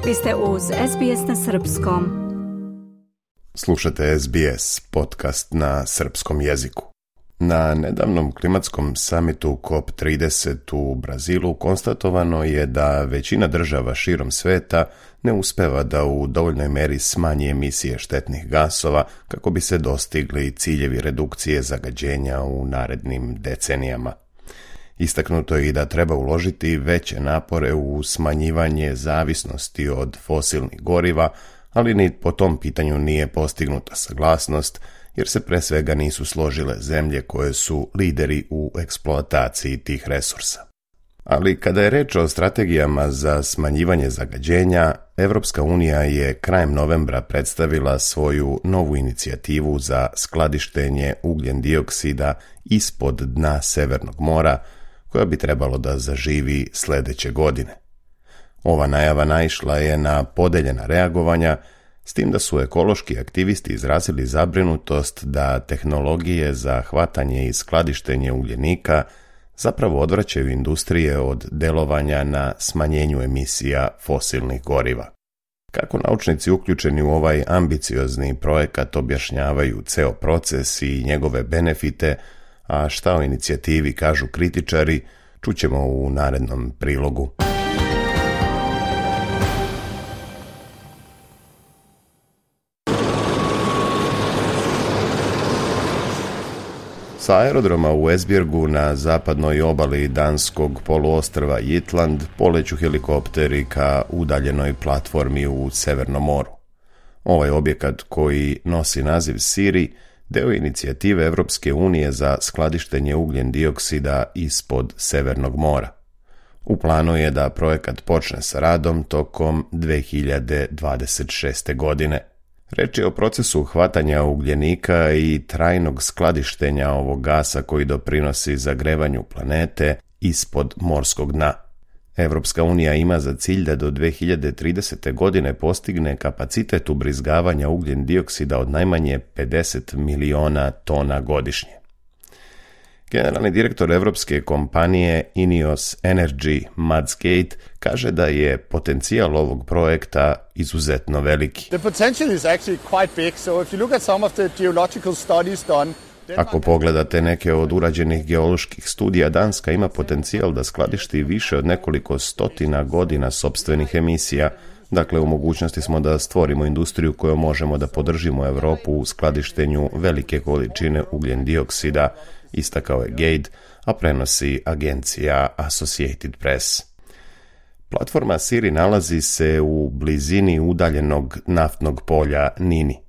Vi ste uz SBS na srpskom. Slušate SBS, podcast na srpskom jeziku. Na nedavnom klimatskom samitu COP30 u Brazilu konstatovano je da većina država širom sveta ne uspeva da u dovoljnoj meri smanji emisije štetnih gasova kako bi se dostigli ciljevi redukcije zagađenja u narednim decenijama. Istaknuto je i da treba uložiti veće napore u smanjivanje zavisnosti od fosilnih goriva, ali ni po tom pitanju nije postignuta saglasnost, jer se pre svega nisu složile zemlje koje su lideri u eksploataciji tih resursa. Ali kada je reč o strategijama za smanjivanje zagađenja, Evropska unija je krajem novembra predstavila svoju novu inicijativu za skladištenje ugljen dioksida ispod dna Severnog mora, koja bi trebalo da zaživi sljedeće godine. Ova najava naišla je na podeljena reagovanja, s tim da su ekološki aktivisti izrazili zabrinutost da tehnologije za hvatanje i skladištenje ugljenika zapravo odvraćaju industrije od delovanja na smanjenju emisija fosilnih goriva. Kako naučnici uključeni u ovaj ambiciozni projekat objašnjavaju ceo proces i njegove benefite, a šta o inicijativi kažu kritičari, čućemo u narednom prilogu. Sa aerodroma u Esbjergu na zapadnoj obali danskog poluostrva Jutland poleću helikopteri ka udaljenoj platformi u Severnom moru. Ovaj objekat, koji nosi naziv Siri, deo inicijative Evropske unije za skladištenje ugljen dioksida ispod Severnog mora. U planu je da projekat počne sa radom tokom 2026. godine. Reč je o procesu hvatanja ugljenika i trajnog skladištenja ovog gasa koji doprinosi zagrevanju planete ispod morskog dna. Evropska unija ima za cilj da do 2030. godine postigne kapacitet ubrizgavanja ugljen dioksida od najmanje 50 miliona tona godišnje. Generalni direktor evropske kompanije Ineos Energy, Mads Gade, kaže da je potencijal ovog projekta izuzetno veliki. The potential is actually quite big, so if you look at some of the geological studies done, ako pogledate neke od urađenih geoloških studija, Danska ima potencijal da skladišti više od nekoliko stotina godina sopstvenih emisija. Dakle, u mogućnosti smo da stvorimo industriju kojom možemo da podržimo Europu u skladištenju velike količine ugljen dioksida, istakao je Gade, a prenosi agencija Associated Press. Platforma Siri nalazi se u blizini udaljenog naftnog polja Nini.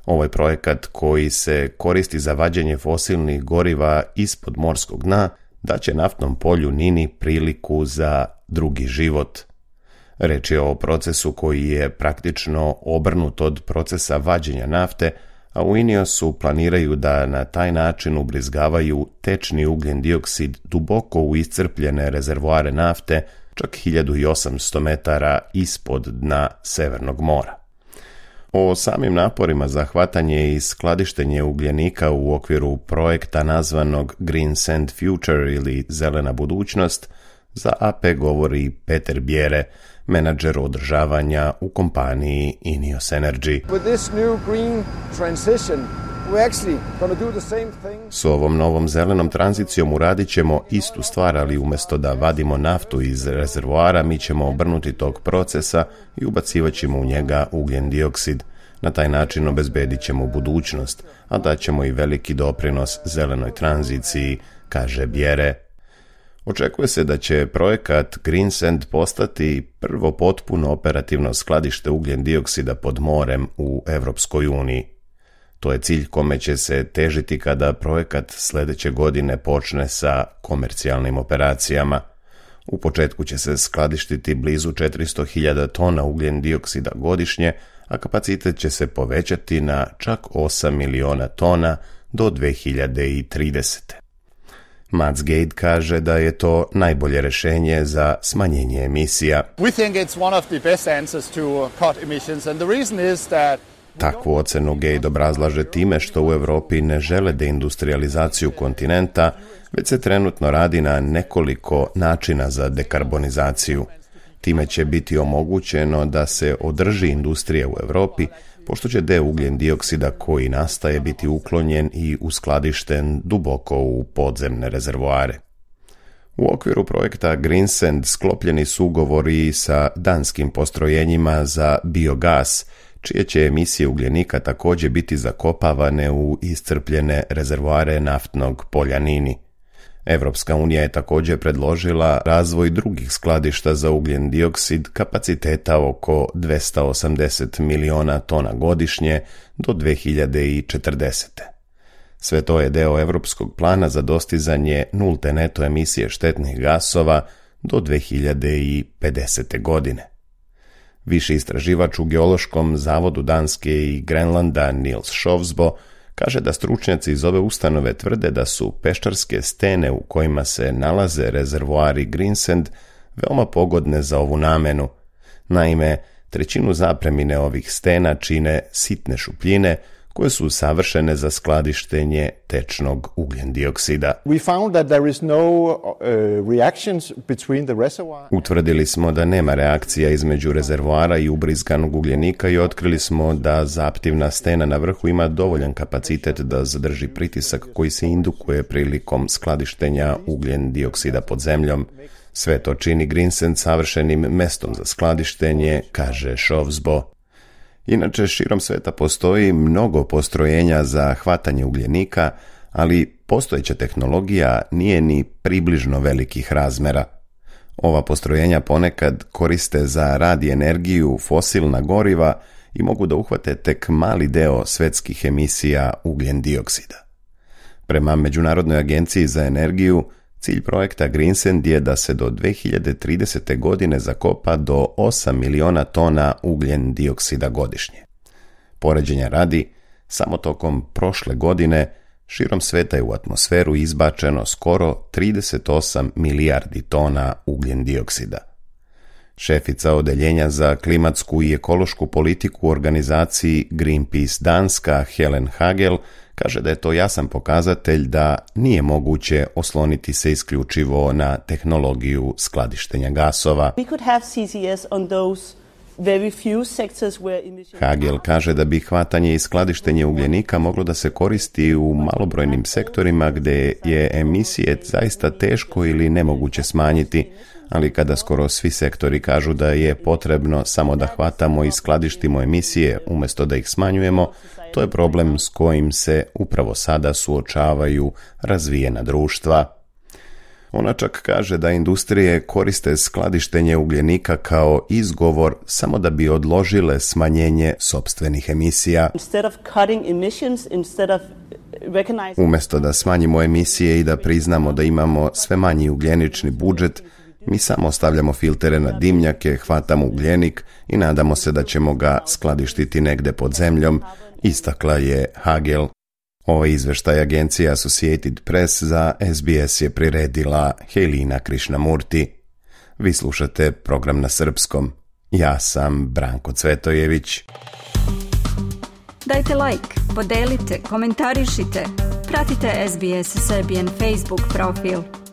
Ovaj projekat, koji se koristi za vađenje fosilnih goriva ispod morskog dna, daće naftnom polju Nini priliku za drugi život. Reč je o procesu koji je praktično obrnut od procesa vađenja nafte, a u Ineosu planiraju da na taj način ubrizgavaju tečni ugljen dioksid duboko u iscrpljene rezervoare nafte, čak 1800 metara ispod dna Severnog mora. O samim naporima za hvatanje i skladištenje ugljenika u okviru projekta nazvanog Green Sand Future ili Zelena budućnost, za AP govori Peter Bjere, menadžer održavanja u kompaniji Ineos Energy. S ovom novom zelenom tranzicijom uradit ćemo istu stvar, ali umjesto da vadimo naftu iz rezervoara, mi ćemo obrnuti tog procesa i ubacivat ćemo u njega ugljen dioksid. Na taj način obezbedit ćemo budućnost, a daćemo i veliki doprinos zelenoj tranziciji, kaže Bjere. Očekuje se da će projekat Green Sand postati prvo potpuno operativno skladište ugljen dioksida pod morem u Evropskoj uniji. To je cilj kome će se težiti kada projekat sljedeće godine počne sa komercijalnim operacijama. U početku će se skladištiti blizu 400.000 tona ugljen dioksida godišnje, a kapacitet će se povećati na čak 8 miliona tona do 2030. Mads Gade kaže da je to najbolje rješenje za smanjenje emisija. We think it's one of the best answers to cut emissions, and the reason is that Takvu ocenu Gade obrazlaže time što u Europi ne žele deindustrializaciju kontinenta, već se trenutno radi na nekoliko načina za dekarbonizaciju. Time će biti omogućeno da se održi industrija u Europi, pošto će dio ugljen dioksida koji nastaje biti uklonjen i uskladišten duboko u podzemne rezervoare. U okviru projekta Greensand sklopljeni su ugovori sa danskim postrojenjima za biogas, čije će emisije ugljenika također biti zakopavane u iscrpljene rezervoare naftnog polja Nini. Evropska unija je također predložila razvoj drugih skladišta za ugljen dioksid kapaciteta oko 280 miliona tona godišnje do 2040. Sve to je deo evropskog plana za dostizanje nulte neto emisije štetnih gasova do 2050. godine. Viši istraživač u Geološkom zavodu Danske i Grenlanda Niels Shovsbo kaže da stručnjaci iz ove ustanove tvrde da su peščarske stene u kojima se nalaze rezervoari Greensand veoma pogodne za ovu namenu. Naime, trećinu zapremine ovih stena čine sitne šupljine koje su savršene za skladištenje tečnog ugljen dioksida. Utvrdili smo da nema reakcija između rezervoara i ubrizganog ugljenika i otkrili smo da zaptivna stena na vrhu ima dovoljan kapacitet da zadrži pritisak koji se indukuje prilikom skladištenja ugljen dioksida pod zemljom. Sve to čini Greensand savršenim mestom za skladištenje, kaže Shovsbo. Inače, širom sveta postoji mnogo postrojenja za hvatanje ugljenika, ali postojeća tehnologija nije ni približno velikih razmera. Ova postrojenja ponekad koriste za rad i energiju fosilna goriva i mogu da uhvate tek mali deo svetskih emisija ugljen dioksida. Prema Međunarodnoj agenciji za energiju, cilj projekta Greensand je da se do 2030. godine zakopa do 8 miliona tona ugljen dioksida godišnje. Poređenja radi, samo tokom prošle godine širom sveta je u atmosferu izbačeno skoro 38 milijardi tona ugljen dioksida. Šefica odeljenja za klimatsku i ekološku politiku u organizaciji Greenpeace Danska, Helen Hagel, kaže da je to jasan pokazatelj da nije moguće osloniti se isključivo na tehnologiju skladištenja gasova. Hagel kaže da bi hvatanje i skladištenje ugljenika moglo da se koristi u malobrojnim sektorima gdje je emisije zaista teško ili nemoguće smanjiti, ali kada skoro svi sektori kažu da je potrebno samo da hvatamo i skladištimo emisije umjesto da ih smanjujemo, to je problem s kojim se upravo sada suočavaju razvijena društva. Ona čak kaže da industrije koriste skladištenje ugljenika kao izgovor samo da bi odložile smanjenje sopstvenih emisija. Umjesto da smanjimo emisije i da priznamo da imamo sve manji ugljenični budžet, mi samo stavljamo filtere na dimnjake, hvatamo ugljenik i nadamo se da ćemo ga skladištiti negde pod zemljom, istakla je Hagel. Ovaj izveštaj agencije Associated Press za SBS je priredila Helina Krishnamurti. Vi slušate program na srpskom. Ja sam Branko Cvetojević. Dajte like, podelite, komentarišite. Pratite SBS Serbian Facebook profil.